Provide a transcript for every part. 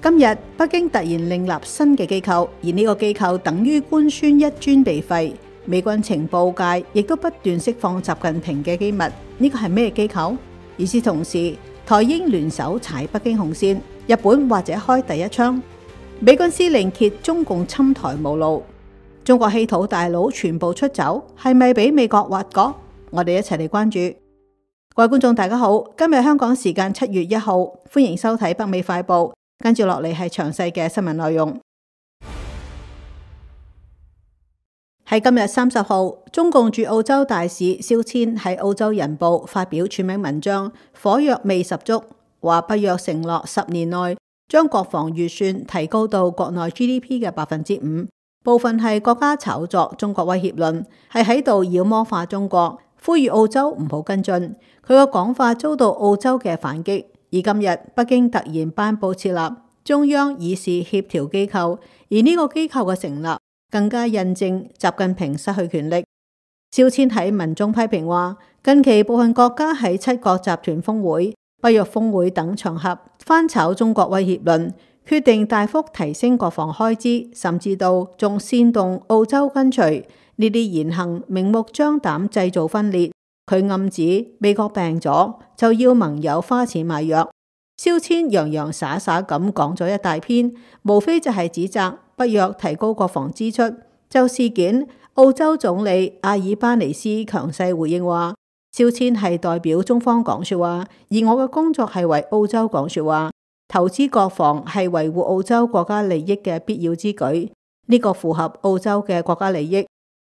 今日北京突然另立新嘅機構，而呢個機構等於官宣一尊被廢。美軍情報界亦都不斷釋放習近平嘅機密，呢個係咩機構？與此同時，台英聯手踩北京紅線，日本或者開第一槍。美軍司令揭中共侵台無路，中國稀土大佬全部出走，係咪俾美國挖角？我哋一齊嚟關注。各位觀眾大家好，今日香港時間7月1號，歡迎收睇北美快報。跟住落嚟係詳細嘅新聞內容。喺今日30號，中共駐澳洲大使蕭千喺澳洲人報發表署名文章，火藥味十足，話北約承諾10年內將國防預算提高到國內 GDP 嘅5%，部分係國家炒作中國威脅論，係喺度妖魔化中國，呼籲澳洲唔好跟進。佢個講法遭到澳洲嘅反擊。而今日北京突然頒布設立中央議事協調機構，而呢個機構嘅成立更加印證習近平失去權力。蕭千喺文中批評話，近期部分國家喺7國集團峰會、北約峰會等場合翻炒中國威脅論，決定大幅提升國防開支，甚至到仲煽動澳洲跟隨，呢啲言行明目張膽製造分裂。佢暗指美國病咗就要盟友花錢買藥。蕭千洋洋灑灑咁講咗一大篇，無非就係指責北約提高國防支出。就事件，澳洲總理阿爾巴尼斯強勢回應話，蕭千係代表中方講說話，而我嘅工作係為澳洲講說話，投資國防係維護澳洲國家利益嘅必要之舉，呢個符合澳洲嘅國家利益。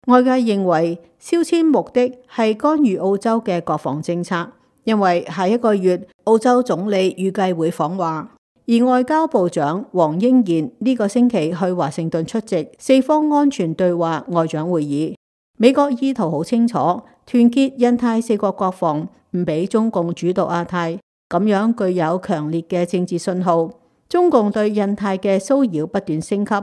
外界認為蕭千目的係干預澳洲嘅國防政策，因為下一個月澳洲總理預計會訪華，而外交部長黃英賢呢個星期去華盛頓出席四方安全對話外長會議。美國意圖好清楚，團結印太4國國防，唔俾中共主導亞太，咁樣具有強烈嘅政治信號。中共對印太嘅騷擾不斷升級。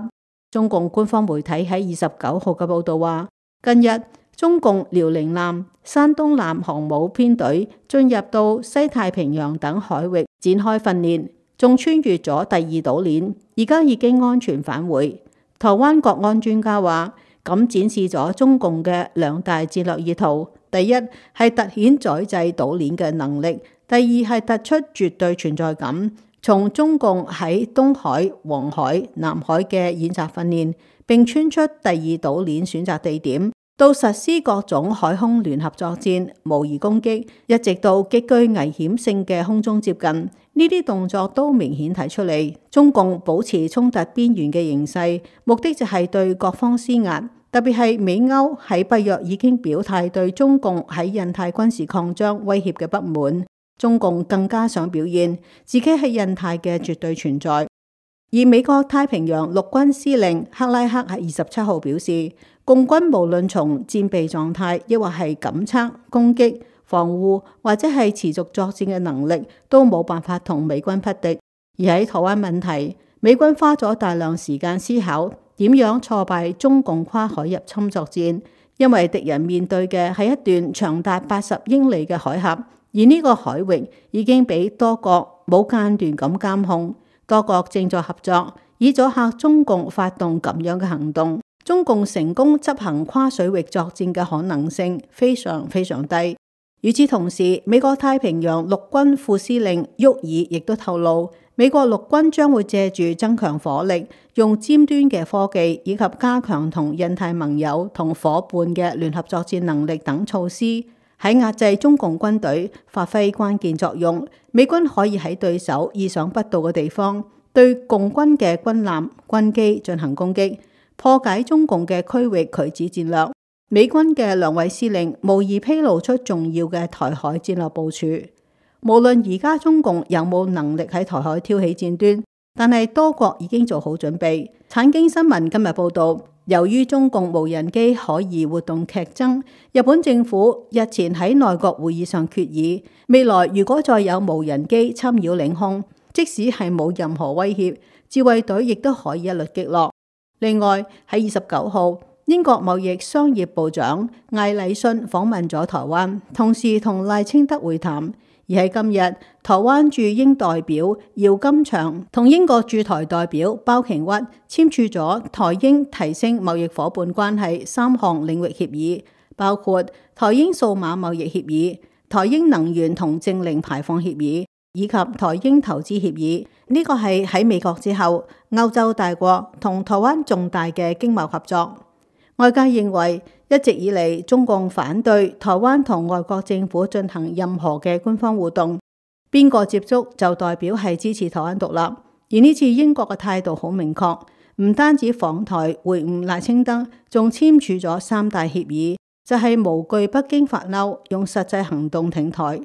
中共官方媒體喺29號嘅報道話，近日中共遼寧艦、山東艦航母編隊進入到西太平洋等海域展開訓練，仲穿越咗第2島鏈，而家已經安全返回。台灣國安專家話，咁展示咗中共嘅2大戰略意圖：第一係凸顯宰制島鏈嘅能力，第二係突出絕對存在感。從中共喺東海、黃海、南海嘅演習訓練，並穿出第2島鏈選擇地點，到實施各種海空聯合作戰、模擬攻擊，一直到極具危險性嘅空中接近，呢啲動作都明顯睇出嚟，中共保持衝突邊緣嘅形勢，目的就係對各方施壓，特別係美歐喺北約已經表態對中共喺印太軍事擴張威脅嘅不滿。中共更加想表現自己係印太嘅絕對存在，而美國太平洋陸軍司令克拉克喺27號表示，共軍無論從戰備狀態，抑或係感測、攻擊、防護或者係持續作戰嘅能力，都冇辦法同美軍匹敵。而喺台灣問題，美軍花咗大量時間思考點樣挫敗中共跨海入侵作戰，因為敵人面對嘅係一段長達80英里嘅海峽。而呢個海域已經俾多國冇間斷咁監控，多國正在合作，以阻嚇中共發動咁樣嘅行動。中共成功執行跨水域作戰嘅可能性非常非常低。與此同時，美國太平洋陸軍副司令沃爾亦都透露，美國陸軍將會借住增強火力、用尖端嘅科技以及加強同印太盟友同夥伴嘅聯合作戰能力等措施，喺壓制中共軍隊發揮關鍵作用。美軍可以喺對手意想不到嘅地方，對共軍嘅軍艦、軍機進行攻擊，破解中共嘅區域拒止戰略。美軍嘅2位司令無疑披露出重要嘅台海戰略部署。無論而家中共有冇能力喺台海挑起戰端，但係多國已經做好準備。產經新聞今日報道，由於中共無人機可疑活動劇增，日本政府日前喺內閣會議上決議，未來如果再有無人機侵擾領空，即使係冇任何威脅，自衛隊亦都可以一律擊落。另外喺29號，英國貿易商業部長艾禮遜訪問咗台灣，同時同賴清德會談。而喺今日，台灣駐英代表姚金祥同英國駐台代表包瓊屈簽署咗台英提升貿易夥伴關係3項領域協議，包括台英數碼貿易協議、台英能源同淨零排放協議以及台英投資協議。呢個係喺美國之後，歐洲大國同台灣重大嘅經貿合作。外界認為，一直以嚟中共反對台灣同外國政府進行任何嘅官方互動，邊個接觸就代表係支持台灣獨立。而呢次英國嘅態度好明確，唔單止訪台會晤賴清德，仲簽署咗3大協議，就係無懼北京發嬲，用實際行動挺台。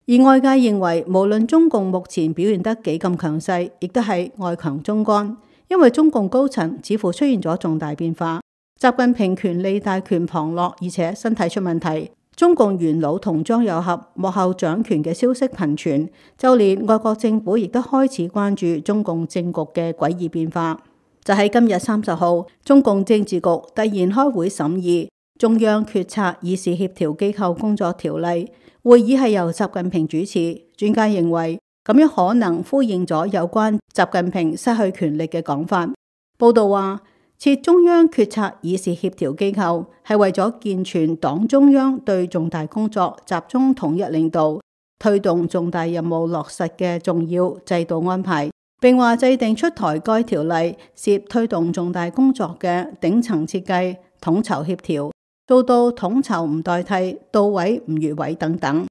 而外界認為，無論中共目前表現得幾咁強勢，亦都係外強中乾，因為中共高層似乎出現咗重大變化。習近平權力大權旁落，而且身體出問題。中共元老同張又俠幕後掌權嘅消息頻傳，就連外國政府亦都開始關注中共政局嘅詭異變化。就喺今日30號，中共政治局突然開會審議中央決策議事協調機構工作條例，會議係由習近平主持。專家認為咁樣可能呼應咗有關習近平失去權力嘅講法。報道話，設中央決策議事協調機構係為咗健全黨中央對重大工作集中統一領導、推動重大任務落實嘅重要制度安排，並話制定出台該條例涉推動重大工作嘅頂層設計、統籌協調，做到統籌唔代替、到位唔越位等等。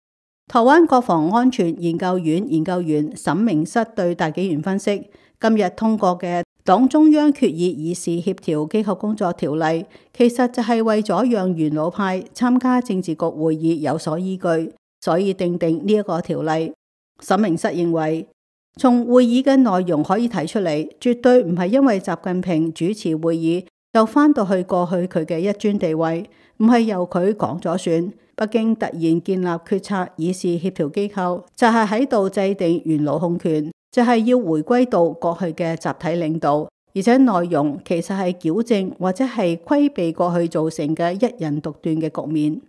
台灣國防安全研究院研究員沈明室對大紀元分析，今日通過嘅黨中央決議議事協調機構工作條例，其實就係為咗讓元老派參加政治局會議有所依據，所以訂定呢一個條例。沈明室認為，從會議嘅內容可以睇出嚟，絕對唔係因為習近平主持會議就翻到去過去佢嘅一尊地位，唔係由佢講咗算。北京突然建立決策議事協調機構，就係喺度制定元老控權，就係要回歸到過去嘅集體領導，而且內容其實係矯正或者係規避過去造成嘅一人獨斷嘅局面。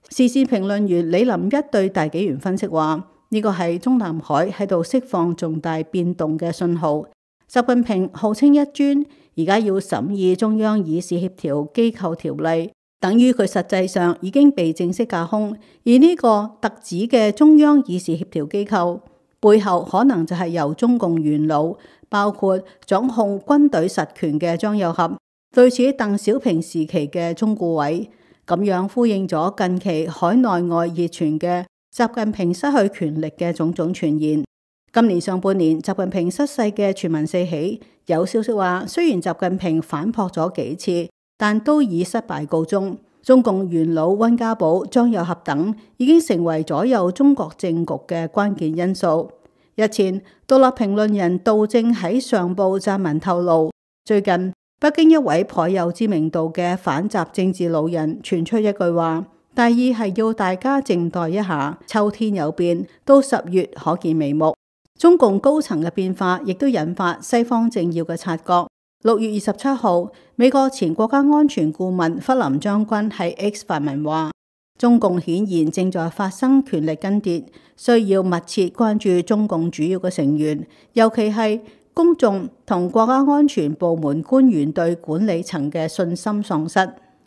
時事評論員李林一對大紀元分析話，呢個係中南海喺度釋放重大變動嘅信號。習近平號稱一尊，而家要審議中央議事協調機構條例，等於佢實際上已經被正式架空。而呢個特指嘅中央議事協調機構背後可能就係由中共元老，包括掌控軍隊實權嘅張又俠，類似鄧小平時期嘅中顧委，咁樣呼應咗近期海內外熱傳嘅習近平失去權力嘅種種傳言。今年上半年習近平失勢嘅傳聞四起，有消息話雖然習近平反撲咗幾次，但都以失敗告終。中共元老溫家寶、張又俠等已經成為左右中國政局嘅關鍵因素。日前，獨立評論人杜正喺上報撰文透露，最近北京一位頗有知名度嘅反習政治老人傳出一句話，大意係要大家靜待一下，秋天有變，到10月可見眉目。中共高層嘅變化亦都引發西方政要嘅察覺。6月27號，美國前國家安全顧問弗林將軍喺 X 發文話，中共顯然正在發生權力更迭，需要密切關注中共主要嘅成員，尤其係公眾同國家安全部門官員對管理層嘅信心喪失。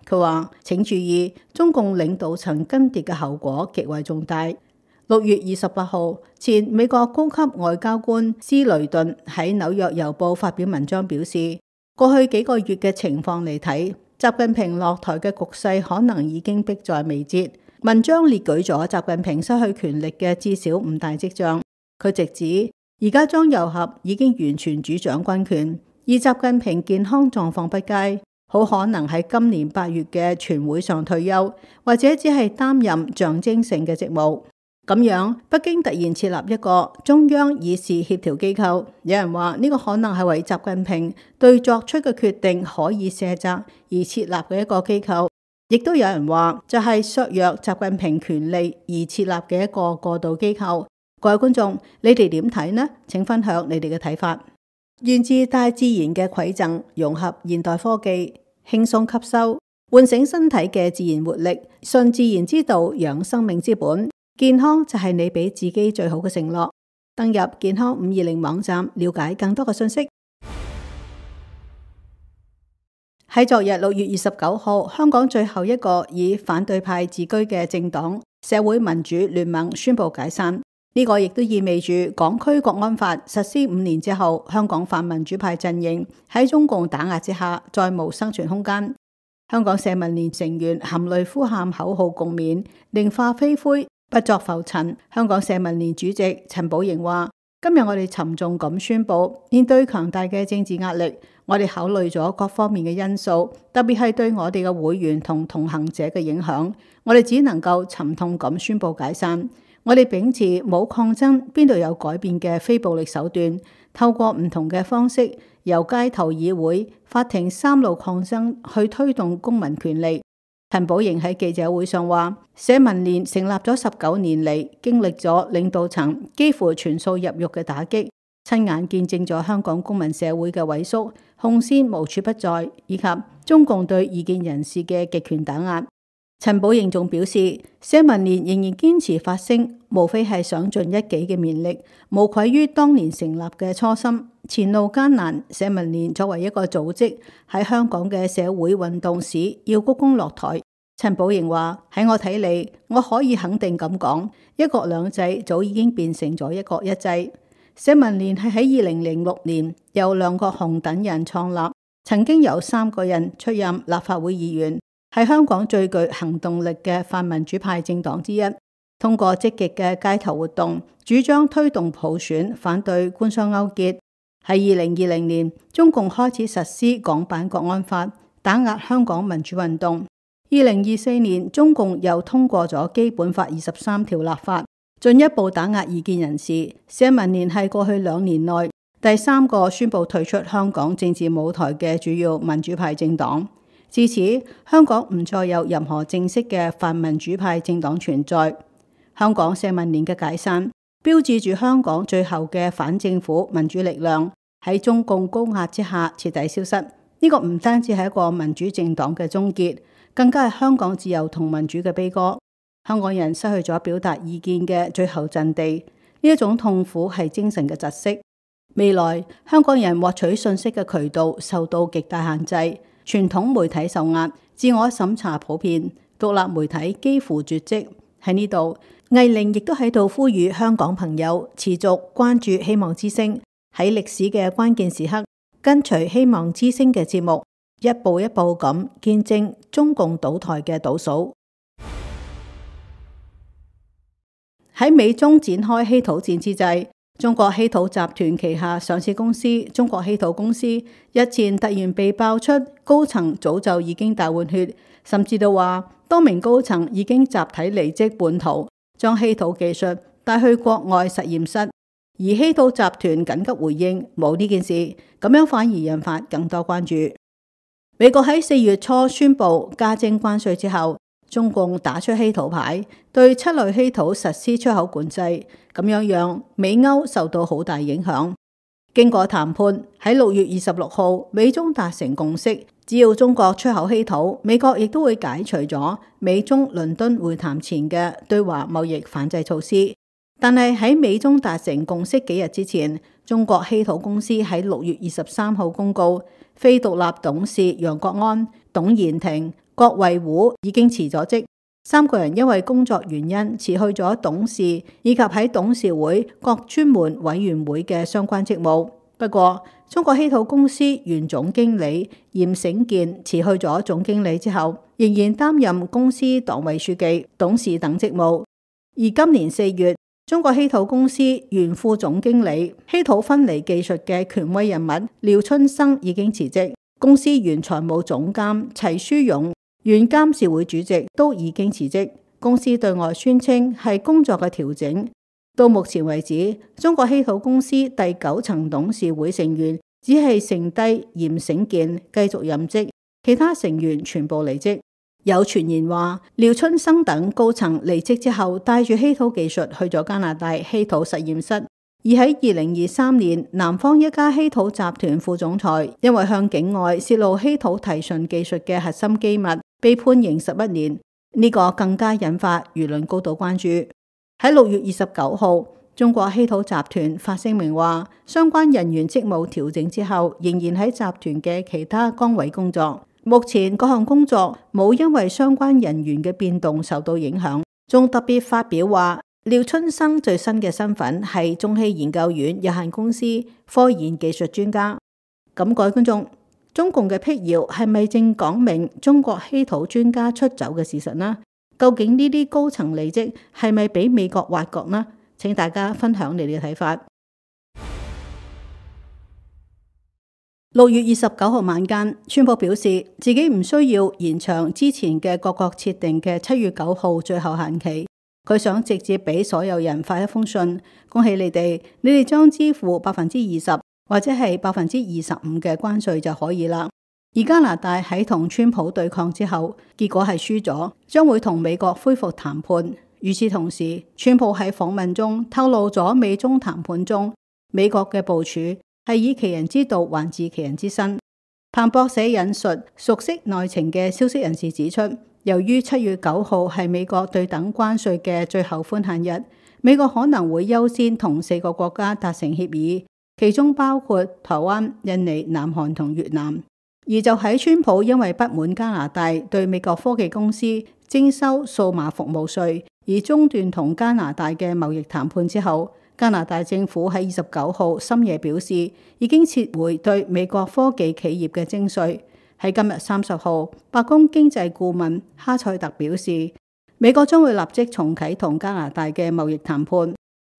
佢話，請注意，中共領導層更迭嘅後果極為重大。6月28號，前美國高級外交官斯雷頓喺紐約郵報發表文章表示，過去幾個月嘅情況嚟睇，習近平落台嘅局勢可能已經迫在眉睫。文章列舉咗習近平失去權力嘅至少5大跡象。佢直指，而家張又俠已經完全主掌軍權，而習近平健康狀況不佳，好可能喺今年8月嘅全會上退休，或者只係擔任象徵性嘅職務。咁樣，北京突然設立一個中央議事協調機構，有人話呢個可能係為習近平對作出嘅決定可以卸責而設立嘅一個機構，亦都有人話就係削弱習近平權力而設立嘅一個過渡機構。各位觀眾，你哋點睇呢？請分享你哋嘅睇法。源自大自然嘅饋贈，融合現代科技，輕鬆吸收，喚醒身體嘅自然活力，順自然之道，養生命之本。健康就係你俾自己最好嘅承諾。登入健康520網站，了解更多嘅信息。喺昨日6月29號，香港最後一個以反對派自居嘅政黨社會民主聯盟宣布解散。呢個亦都意味住港區國安法實施5年之後，香港泛民主派陣營喺中共打壓之下，再無生存空間。香港社民連成員含淚呼喊口號共勉，寧化飛灰，不作浮塵。香港社民連主席陳寶瑩話：今日我哋沉重咁宣布，面對強大嘅政治壓力，我哋考慮咗各方面嘅因素，特別係對我哋嘅會員同同行者嘅影響，我哋只能夠沉痛咁宣布解散。我哋秉持冇抗爭邊度有改變嘅非暴力手段，透過唔同嘅方式，由街頭議會、法庭3路抗爭去推動公民權利。陳寶瑩喺記者會上話：社民連成立咗19年嚟，經歷咗領導層幾乎全數入獄嘅打擊，親眼見證咗香港公民社會嘅萎縮，紅線無處不在，以及中共對異見人士嘅極權打壓。陳寶瑩仲表示，社民連仍然堅持發聲，無非係想盡一己嘅綿力，無愧於當年成立嘅初心。前路艱難，社民連作為一個組織喺香港嘅社會運動史要鞠躬落台。陳寶瑩話：喺我睇嚟，我可以肯定咁講，一國兩制早已經變成咗一國一制。社民連係喺2006年由梁國雄等人創立，曾經有3個人出任立法會議員，係香港最具行動力嘅泛民主派政黨之一。通過積極嘅街頭活動，主張推動普選，反對官商勾結。喺2020年，中共開始實施港版國安法，打壓香港民主運動。2024年，中共又通過咗基本法23條立法，進一步打壓異見人士。社民連係過去2年內第3個宣布退出香港政治舞台嘅主要民主派政黨。自此，香港唔再有任何正式嘅泛民主派政黨存在。香港社民連嘅解散，標誌住香港最後嘅反政府民主力量喺中共高壓之下徹底消失。呢個唔單止係一個民主政黨嘅終結，更加係香港自由同民主嘅悲歌。香港人失去咗表達意見嘅最後陣地，呢一種痛苦係精神嘅窒息。未來香港人獲取信息嘅渠道受到極大限制，傳統媒體受壓，自我審查普遍，獨立媒體幾乎絕跡。喺呢度，藝玲亦都喺度呼籲香港朋友持續關注希望之聲，喺歷史嘅關鍵時刻，跟隨希望之聲嘅節目，一步一步咁見證中共倒台嘅倒數。喺美中展開稀土戰之際，中國稀土集團旗下上市公司中國稀土公司日前突然被爆出高層早就已經大換血，甚至到話多名高層已經集體離職叛逃，將稀土技術帶去國外實驗室。而稀土集團緊急回應冇呢件事，咁樣反而引發更多關注。美國喺4月初宣布加徵關稅之後，中共打出稀土牌，對7類稀土實施出口管制，咁樣讓美歐受到好大影響。經過談判，喺6月26號，美中達成共識，只要中國出口稀土，美國亦都會解除咗美中倫敦會談前嘅對華貿易反制措施。但係喺美中達成共識幾日之前，中國稀土公司喺6月23號公告，非獨立董事楊國安、董延廷、郭衛虎已經辭咗職，3個人因為工作原因辭去咗董事以及喺董事會各專門委員會嘅相關職務。不過，中國稀土公司原總經理嚴醒健辭去咗總經理之後，仍然擔任公司黨委書記、董事等職務。而今年4月，中國稀土公司原副總經理、稀土分離技術嘅權威人物廖春生已經辭職，公司原財務總監齊書勇、原監事會主席都已經辭職。公司對外宣稱係工作嘅調整。到目前為止，中國稀土公司第9層董事會成員只係剩低嚴醒健繼續任職，其他成員全部離職。有傳言話，廖春生等高層離職之後，帶住稀土技術去咗加拿大稀土實驗室。而喺2023年，南方一家稀土集團副總裁因為向境外泄露稀土提純技術嘅核心機密，被判刑11年。呢個更加引發輿論高度關注。喺6月29號，中國稀土集團發聲明話，相關人員職務調整之後，仍然喺集團嘅其他崗位工作。目前各項工作冇因為相關人員嘅變動受到影響。仲特別發表話，廖春生最新嘅身份係中稀研究院有限公司科研技術專家。咁各位觀眾，中共嘅闢謠係咪正講明中國稀土專家出走嘅事實呢？究竟呢啲高層離職係咪俾美國挖角呢？請大家分享你哋嘅睇法。6月29號晚間，川普表示自己唔需要延長之前嘅各國設定嘅7月9號最後限期，佢想直接俾所有人發一封信，恭喜你哋將支付20%或者係25%嘅關稅就可以啦。而加拿大喺同川普對抗之後，結果係輸咗，將會同美國恢復談判。與此同時，川普喺訪問中透露咗美中談判中美國嘅部署係以其人之道還治其人之身。彭博社引述熟悉內情嘅消息人士指出，由於7月9號係美國對等關稅嘅最後寬限日，美國可能會優先同4個國家達成協議，其中包括台灣、印尼、南韓同越南。而就喺川普因為不滿加拿大對美國科技公司徵收數碼服務稅而中斷同加拿大嘅貿易談判之後，加拿大政府喺29號深夜表示，已經撤回對美國科技企業嘅徵稅。喺今日30號，白宮經濟顧問哈塞特表示，美國將會立即重啟同加拿大嘅貿易談判。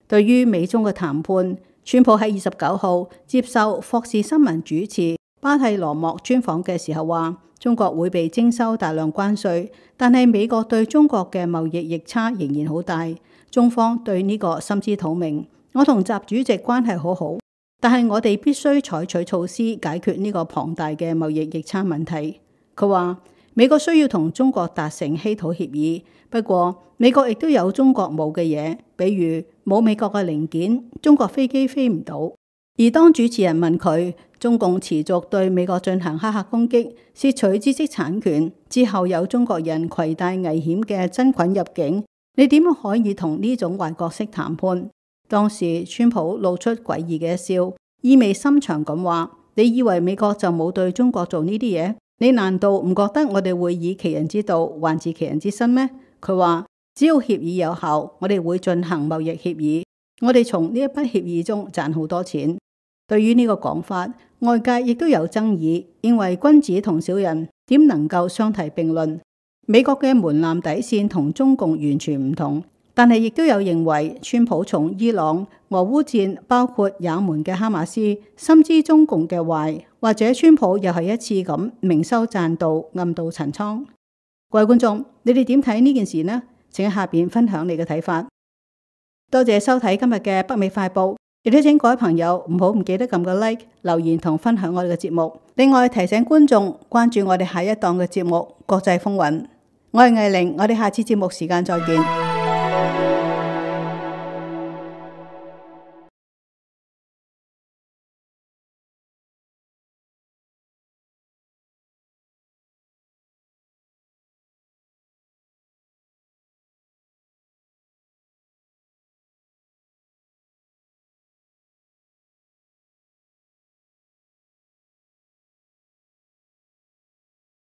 對於美中嘅談判，川普喺29號接受霍士新聞主持巴蒂羅莫專訪嘅時候話，中國會被徵收大量關稅，但係美國對中國嘅貿易逆差仍然好大，中方對呢個心知肚明。我同習主席關係好好，但係我哋必須採取措施解決呢個龐大嘅貿易逆差問題。佢話美國需要同中國達成稀土協議，不過美國亦都有中國冇嘅嘢，比如冇美國嘅零件，中國飛機飛唔到。而當主持人問佢，中共持續對美國進行黑客攻擊、竊取知識產權之後，有中國人攜帶危險嘅真菌入境，你點樣可以同呢種壞角色談判？當時川普露出詭異嘅一笑，意味深長咁話：你以為美國就冇對中國做呢啲嘢？你難道唔覺得我哋會以其人之道還治其人之身咩？佢話只要協議有效，我哋會進行貿易協議，我哋從呢一筆協議中賺好多錢。對於呢個講法，外界亦都有爭議，認為君子同小人點能夠相提並論？美國嘅門檻底線同中共完全唔同，但係亦都有認為川普從伊朗、俄烏戰，包括也門嘅哈馬斯，深知中共嘅壞，或者川普又係一次咁明修棧道、暗度陳倉。各位觀眾，你哋點睇呢件事呢？請喺下邊分享你嘅睇法。多謝收睇今日嘅北美快報。亦都請各位朋友唔記得撳個 like、留言同分享我哋嘅節目。另外提醒觀眾關注我哋下一檔嘅節目《國際風雲》。我係藝玲，我哋下次節目時間再見。